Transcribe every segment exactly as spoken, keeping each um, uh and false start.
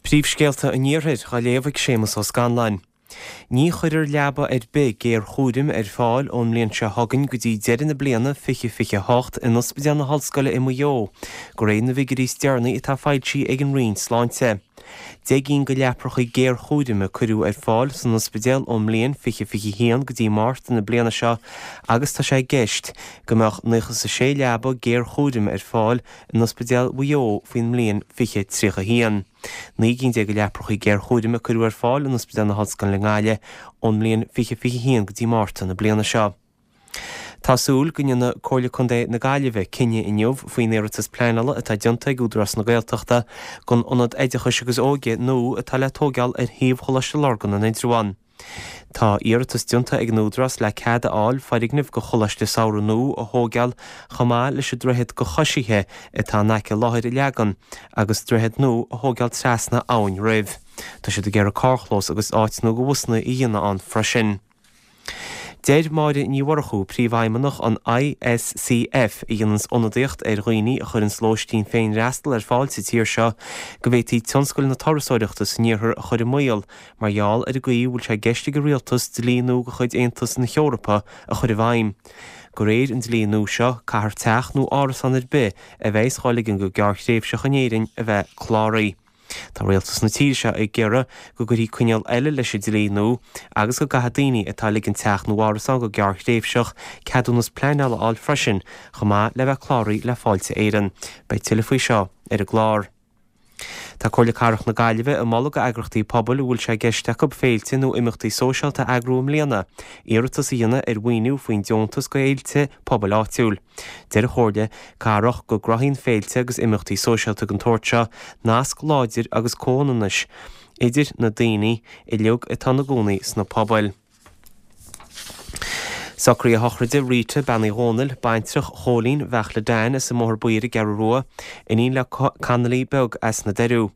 Príomhscéalta an Iarthair á léamh ag Séamus Ó Scanláin. Ní chuirfear leaba ar bith géarchúraim ar fáil ón mbliain seo chugainn go dtí deireadh na bliana fiche fiche hocht in Ospidéal na hOllscoile i Maigh Eo, de réir na bhfigiúirí is deireanaí atá foilsithe ag an Roinn Sláinte. Deich gcinn de leapracha géarchúraim a cuireadh ar fáil san ospidéal ón mbliain fiche fiche haon go dtí Márta na bliana seo agus tá sé i gceist go mbeadh nócha is a sé leaba géarchúraim ar fáil in Ospidéal Mhaigh Eo faoin mbliain fiche tríocha haon. Naoi gcinn déag de leapracha géarchúraim a cuireadh ar fáil in Ospidéal na hOllscoile i nGaillimh ón mbliain fiche fiche haon go dtí Márta na bliana seo. Tá súil go ndéanfaidh Comhairle Contae na Gaillimhe cinneadh inniu faoin iarratas pleanála atá déanta ag Údarás na Gaeltachta don Ionad Oideachais agus Óige nua atá le tógáil ar shuíomh Choláiste Lurgan in Indreabhán. Tá iarratas déanta ag an Údarás le cead a fháil foirgneamh do Choláiste Samhraidh nua a thógáil chomh maith leis an droichead do choisithe atá in aice láthair a leagan agus droichead nua a thógáil trasna Abhainn roimh. Tá siad ag iarraidh carrchlós agus áit nua do bhusanna a dhéanamh ann freisin. Deir Máire Ní Mhurchú, Príomhfheidhmeannach an ISCF, a dhéananns ionadaíocht ar dhaoine a chuireanns lóistín féinfhreastail ar fáil sa tír seo, go bhféadfaí tionscal na turasóireachta san iarthar a chur i mbaol mar gheall ar an gcaoi a bhfuil sé i gceist ag an rialtas dlí nua de chuid Aontas na hEorpa a chur i bhfeidhm. De réir an dlí nua seo, caithfear teach nó árasán ar bith a bheas á ligean go gearrthréimhseach in Éirinn a bheith cláraithe. Tá rialtas na tíre seo ag iarraidh go gcuirfí coinníoll eile leis an dlí nua agus go gcaithfidh daoine atá ag ligean teach nó árasán go gearrthréimhseach ceadúnas pleanála a fháil freisin, chomh maith le bheith cláraithe le Fáilte Éireann. Beidh tuilleadh faoi seo ar an gclár. Tá Comhairle Cathrach na Gaillimhe ag moladh d'eagraíochtaí pobail a bhfuil sé i gceist acu féilte nó imeachtaí sóisialta a eagrú i mbliana, iarratas a dhéanamh ar mhaoiniú faoin deontas do fhéilte pobail áitiúil. Deir an Chomhairle Cathrach go gcruthaíonn féilte agus imeachtaí sóisialta den tsórt seo nasc láidir agus comhionannais idir na daoine uilig atá ina gcónaí sna pobail. Socruithe sochraide Rita, Bean Uí Dhónaill, baintreach Chóilín Bheachla Dan as an mBóthar Buí ar an gCeathrú Rua, iníon le Connolly beag as na Doiriú.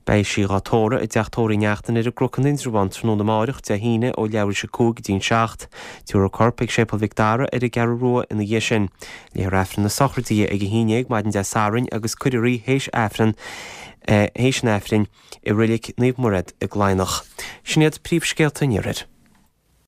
Beidh sí dhá tórramh i dteach tórraimh Uí Neachtain ar an gCnoc in Indreabhán tráthnóna amárach, Dé hAoine, ó leathuair tar éis a cúig go dtí an seacht. Tabharfar a corp ag Séipéal Mhic Dara ar an gCeathrú Rua ina dhiaidh sin. Léifear Aifreann na sochraide di ag a haon déag maidin Dé Sathairn agus cuirfear í théis Aifreann théis an Aifrinn i Reilig Naomh Mairéad i gCladhnach. Sin iad príomhscéalta an Iarthair.